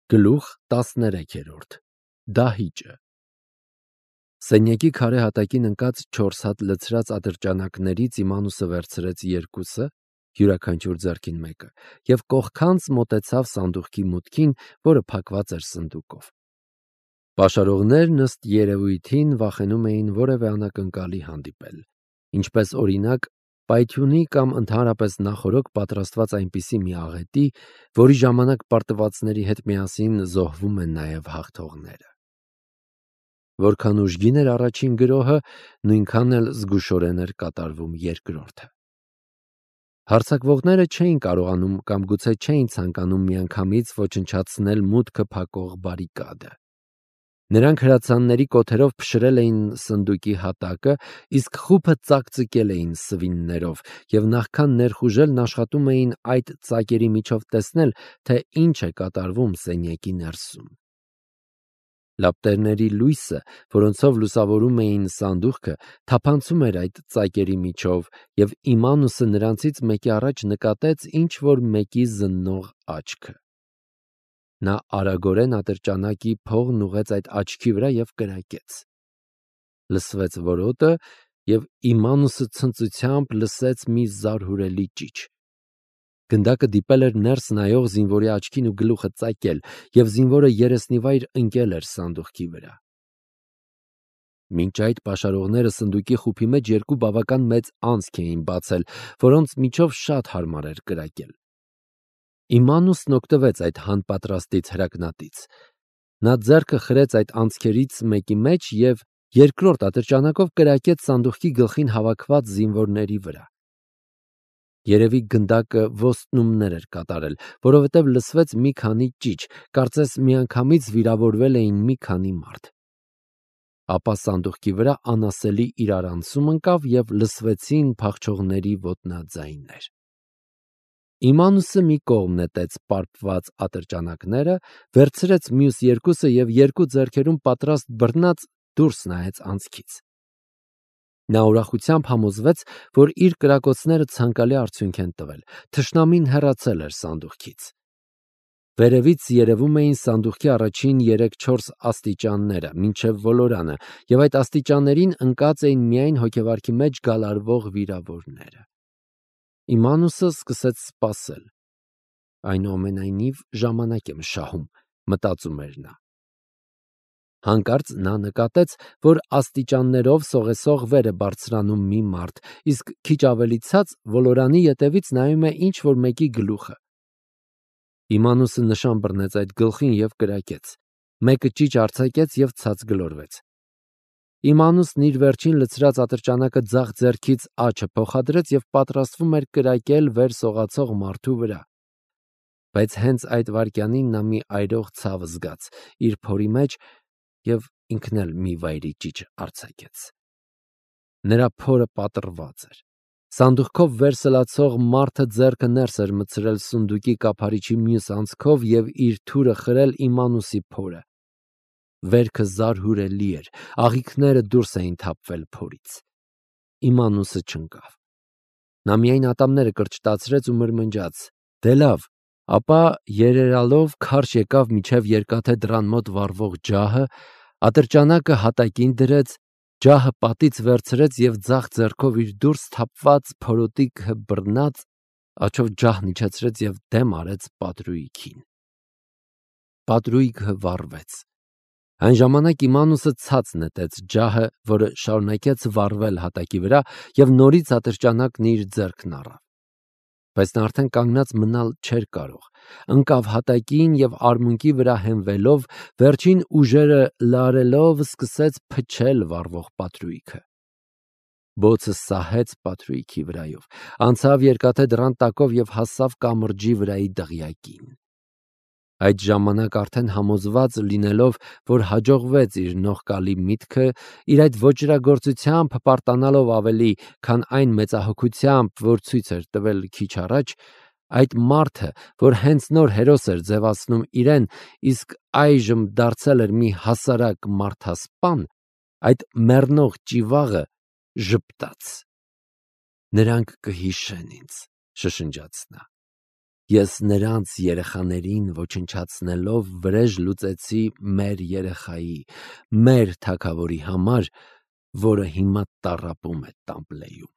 Գլուխ 13 Դահիճը Սենյակի քարե հատակին ընկած 4 հատ լցրած ատրճանակներից Իմանուսը վերցրեց 2-ը, յուրաքանչյուր ձեռքին մեկը, և կողքանց մոտեցավ սանդուղքի մուտքին, որը փակված էր սնդուկով։ Պաշարողներն ըստ երևույթին վախենում էին որևէ անակնկալի հանդիպել, ինչպես օրինակ պայթյունի կամ ընդհանրապես նախօրոք պատրաստված այնպիսի մի աղետի, որի ժամանակ պարտվածների հետ միասին զոհվում են նաև հաղթողները։ Որքան ուժգին էր առաջին գրոհը, նույնքան էլ զգուշորեն էր կատարվում երկրորդը։ Հարձակվողները չէին կարողանում կամ գուցե չէին ցանկանում միանգամից ոչնչացնել մուտքը փակող բարիկադը։ Նրանք հրացանների կոթերով փշրել էին սնդուկի հատակը, իսկ խուփը ծակծկել էին սվիններով, և նախքան ներխուժելն աշխատում էին այդ ծակերի միջով տեսնել, թե ինչ է կատարվում սենյակի ներսում։ Լապտերների լույսը, որոնցով լուսավորում էին սանդուղքը, թափանցում էր այդ ծակերի միջով, և Իմանուսը նրանցից մեկի առաջ նկատեց ինչ-որ մեկի զննող աչքը։ Նա արագորեն ատրճանակի փողն ուղղեց այդ աչքի վրա և կրակեց։ Լսվեց որոտը, և Իմանուսը ցնծությամբ լսեց մի զարհուրելի ճիչ։ Գնդակը դիպել էր ներս նայող զինվորի աչքին ու գլուխը ծակել, և զինվորը երեսնիվայր ընկել էր սանդուղքի վրա։ Մինչ այդ պաշարողները սնդուկի խուփի մեջ 2 բավական մեծ անցք էին բացել, որոնց միջով շատ հարմար էր կրակել։ Իմանուսն օգտվեց այդ հանպատրաստից հրակնատից։ Նա ձեռքը խրեց այդ անցքերից մեկի մեջ և երկրորդ ատրճանակով կրակեց սանդուղքի գլխին հավաքված զինվորների վրա։ Երևի գնդակը ոստնումներ էր կատարել, որովհետև լսվեց մի քանի ճիչ, կարծես միանգամից վիրավորվել էին մի քանի մարդ։ Ապա սանդուղքի վրա անասելի իրարանցում ընկավ և լսվեցին փախչողների ոտնաձայներ։ Իմանուսը մի կողմ նետեց պարպված ատրճանակները, վերցրեց մյուս 2-ը և 2 ձեռքերում պատրաստ բռնած դուրս նայեց անցքից։ Նա ուրախությամբ համոզվեց, որ իր կրակոցները ցանկալի արդյունք են տվել։ Թշնամին հեռացել էր սանդուղքից։ Վերևից երևում էին սանդուղքի առաջին 3-4 աստիճանները, մինչև ոլորանը, և այդ աստիճաններին ընկած էին միայն հոգեվարքի մեջ գալարվող վիրավորները։ Իմանուսը սկսեց սպասել։ Այնուամենայնիվ ժամանակ եմ շահում, մտածում էր նա։ Հանկարծ նա նկատեց, որ աստիճաններով սողեսող վեր է բարձրանում մի մարդ, իսկ քիչ ավելի ցած ոլորանի ետևից նայում է ինչ-որ մեկի գլուխը։ Իմանուսը նշան բռնեց այդ գլխին և կրակեց։ Մեկը ճիչ արձակեց և ցած գլորվեց։ Իմանուսն իր վերջին լցրած ատրճանակը ձախ ձեռքից աջը փոխադրեց և պատրաստվում էր կրակել վեր սողացող մարդու վրա։ Բայց հենց այդ վայրկյանին նա մի այրող ցավ զգաց իր փորի մեջ և ինքն էլ մի վայրի ճիչ արձակեց։ Նրա փորը պատռված էր։ Սանդուղքով վեր սլացող մարդը ձեռքը ներս էր մտցրել սնդուկի կափարիչի մյուս անցքով և իր թուրը խրել Իմանուսի փորը։ Վերքը զարհուրելի էր, աղիքները դուրս էին թափվել փորից։ Իմանուսը չընկավ։ Նա միայն ատամները կրճտացրեց ու մրմնջաց. «Դե լավ», ապա երերալով քարշ եկավ մինչև երկաթե դռան մոտ վառվող ջահը, ատրճանակը հատակին դրեց, ջահը պատից վերցրեց և ձախ ձեռքով իր դուրս թափված փորոտիքը բռնած, աջով ջահն իջեցրեց և դեմ արեց պատրույգին։ Պատրույգը վառվեց։ Այն ժամանակ Իմանուսը ցած նետեց ջահը, որը շարունակեց վառվել հատակի վրա, և նորից ատրճանակն իր ձեռքն առավ։ Բայց նա արդեն կանգնած մնալ չէր կարող։ Ընկավ հատակին և արմունկի վրա հենվելով, վերջին ուժերը լարելով սկսեց փչել վառվող պատրույգը։ Բոցը սահեց պատրույգի վրայով, անցավ երկաթե դռան տակով և հասավ կամրջի վրայի դղյակին։ Այդ ժամանակ արդեն համոզված լինելով, որ հաջողվեց իր նողկալի միտքը, իր այդ ոճրագործությամբ հպարտանալով ավելի, քան այն մեծահոգությամբ, որ ցույց էր տվել քիչ առաջ, այդ մարդը, որ հենց նոր հերոս էր ձևացնում իրեն, իսկ այժմ դարձել էր մի հասարակ մարդասպան, այդ մեռնող ճիվաղը ժպտաց։ «Նրանք կհիշեն ինձ», շշնջաց նա։ Ես նրանց երեխաներին ոչնչացնելով վրեժ լուծեցի մեր երեխայի, մեր թագավորի համար, որը հիմա տառապում է Տամպլեյում։